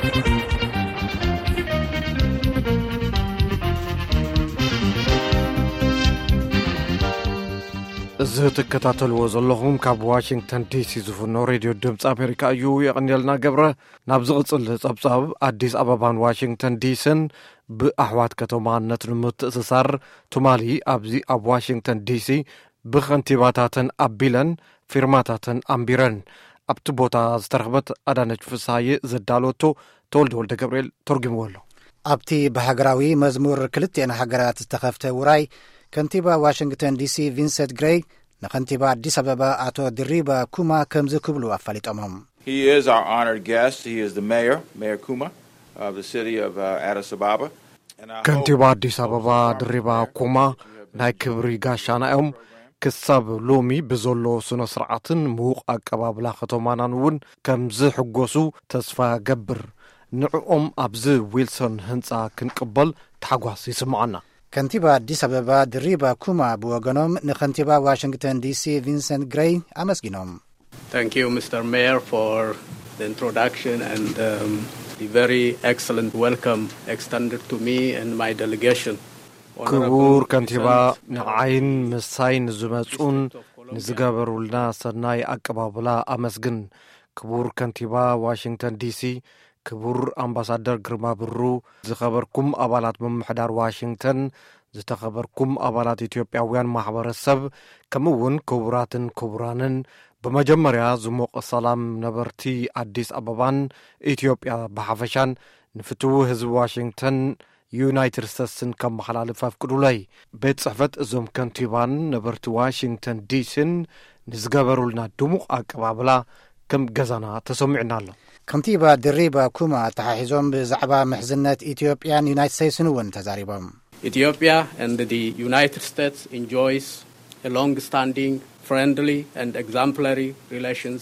እዚ ትከታተልዎ ዘለኹም ካብ ዋሽንግተን ዲሲ ዝፍኖ ሬድዮ ድምፂ ኣሜሪካ እዩ። የቐንየልና ገብረ። ናብ ዝቕፅል ፀብፃብ፣ ኣዲስ ኣበባን ዋሽንግተን ዲስን ብኣሕዋት ከተማነት ንምትእስሳር፣ ትማሊ ኣብዚ ኣብ ዋሽንግተን ዲሲ ብኸንቲባታተን ኣቢለን ፊርማታተን ኣንቢረን። ኣብቲ ቦታ ዝተረኽበት ኣዳነች ፍስሃየ ዘዳለወቶ ተወልደ ወልደ ገብርኤል ተርጉምዎ ኣሎ። ኣብቲ ብሃገራዊ መዝሙር ክልቲኤን ሃገራት ዝተኸፍተ ውራይ፣ ከንቲባ ዋሽንግተን ዲሲ ቪንሰንት ግሬይ ንኸንቲባ ኣዲስ ኣበባ ኣቶ ድሪባ ኩማ ከምዚ ክብሉ ኣፋሊጦሞም። He is our honored guest. He is the mayor, Mayor Kuma, of the city of uh, Addis Ababa. And I hope ከንቲባ ኣዲስ ኣበባ ድሪባ ኩማ ናይ ክብሪ ጋሻና እዮም። ክሳብ ሎሚ ብዘሎ ስነ ስርዓትን ምዉቕ ኣቀባብላ ከተማናን እውን ከም ዝሕጎሱ ተስፋ ገብር። ንዕኦም ኣብዚ ዊልሶን ህንፃ ክንቅበል ታሕጓስ ይስምዓና። ከንቲባ ኣዲስ ኣበባ ድሪባ ኩማ ብወገኖም ንኸንቲባ ዋሽንግተን ዲሲ ቪንሰንት ግሬይ ኣመስጊኖም። Thank you, Mister Mayor, for the introduction and um, the very excellent welcome extended to me and my delegation. ክቡር ከንቲባ፣ ንዓይን ምሳይ ንዝመጹን ንዝገበሩልና ሰናይ ኣቀባብላ ኣመስግን። ክቡር ከንቲባ ዋሽንግተን ዲሲ፣ ክቡር ኣምባሳደር ግርማ ብሩ፣ ዝኸበርኩም ኣባላት ምምሕዳር ዋሽንግተን፣ ዝተኸበርኩም ኣባላት ኢትዮጵያውያን ማሕበረሰብ፣ ከምኡ እውን ክቡራትን ክቡራንን፣ ብመጀመርያ ዝሞቐ ሰላም ነበርቲ ኣዲስ ኣበባን ኢትዮጵያ ብሓፈሻን ንፍትዊ ህዝቢ ዋሽንግተን ዩናይትድ ስቴትስን ከመሓላልፍ ኣፍቅዱለይ። ቤት ጽሕፈት እዞም ከንቲባን ነበርቲ ዋሽንግተን ዲሲን ንዝገበሩልና ድሙቕ ኣቀባብላ ከም ገዛና ተሰሚዑና ኣሎ። ከንቲባ ድሪባ ኩማ ኣተሓሒዞም ብዛዕባ ምሕዝነት ኢትዮጵያን ዩናይትድ ስቴትስን እውን ተዛሪቦም። Ethiopia and the United States enjoys a long-standing, friendly and exemplary relations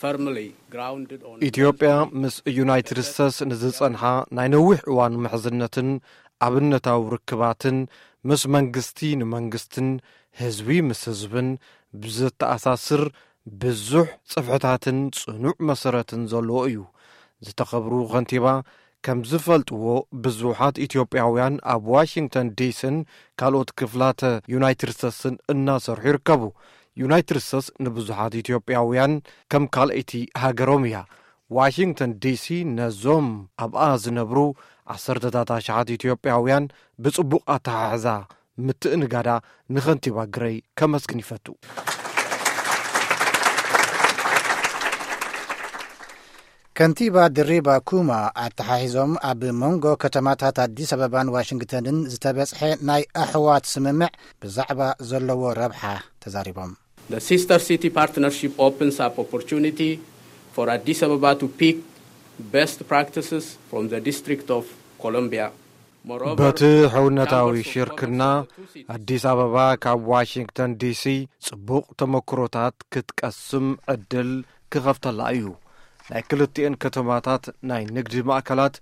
firmly grounded on ኢትዮጵያ ምስ ዩናይትድ ስቴትስ ንዝጸንሓ ናይ ነዊሕ እዋን ምሕዝነትን ኣብነታዊ ርክባትን፣ ምስ መንግስቲ ንመንግስትን ህዝቢ ምስ ህዝብን ብዘተኣሳስር ብዙሕ ጽፍሕታትን ጽኑዕ መሰረትን ዘለዎ እዩ። ዝተኸብሩ ከንቲባ፣ ከም ዝፈልጥዎ ብዙሓት ኢትዮጵያውያን ኣብ ዋሽንግተን ዲሲን ካልኦት ክፍላተ ዩናይትድ ስቴትስን እናሰርሑ ይርከቡ። ዩናይትድ ስቴትስ ንብዙሓት ኢትዮጵያውያን ከም ካልኣይቲ ሃገሮም እያ። ዋሽንግተን ዲሲ ነዞም ኣብኣ ዝነብሩ ዓሰርተታት ኣሽሓት ኢትዮጵያውያን ብጽቡቕ ኣተሓሕዛ ምትእንጋዳ ንኸንቲባ ግረይ ከመስግን ይፈቱ። ከንቲባ ድሪባ ኩማ ኣተሓሒዞም ኣብ መንጎ ከተማታት ኣዲስ ኣበባን ዋሽንግተንን ዝተበጽሐ ናይ ኣሕዋት ስምምዕ ብዛዕባ ዘለዎ ረብሓ ተዛሪቦም። The Sister City Partnership opens up opportunity for Addis Ababa to pick best practices from the District of Columbia. በቲ ሕውነታዊ ሽርክና፣ ኣዲስ ኣበባ ካብ ዋሽንግተን ዲሲ ጽቡቕ ተመክሮታት ክትቀስም ዕድል ክኸፍተላ እዩ። ናይ ክልቲኤን ከተማታት ናይ ንግዲ ማእከላት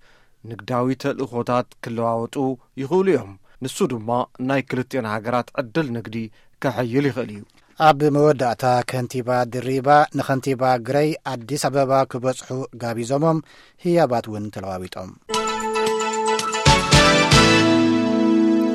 ንግዳዊ ተልእኾታት ክለዋወጡ ይኽእሉ እዮም። ንሱ ድማ ናይ ክልቲኤን ሃገራት ዕድል ንግዲ ከሐይል ይኽእል እዩ። ኣብ መወዳእታ ከንቲባ ድሪባ ንኸንቲባ ግረይ ኣዲስ ኣበባ ክበጽሑ ጋቢዞሞም ህያባት እውን ተለዋዊጦም።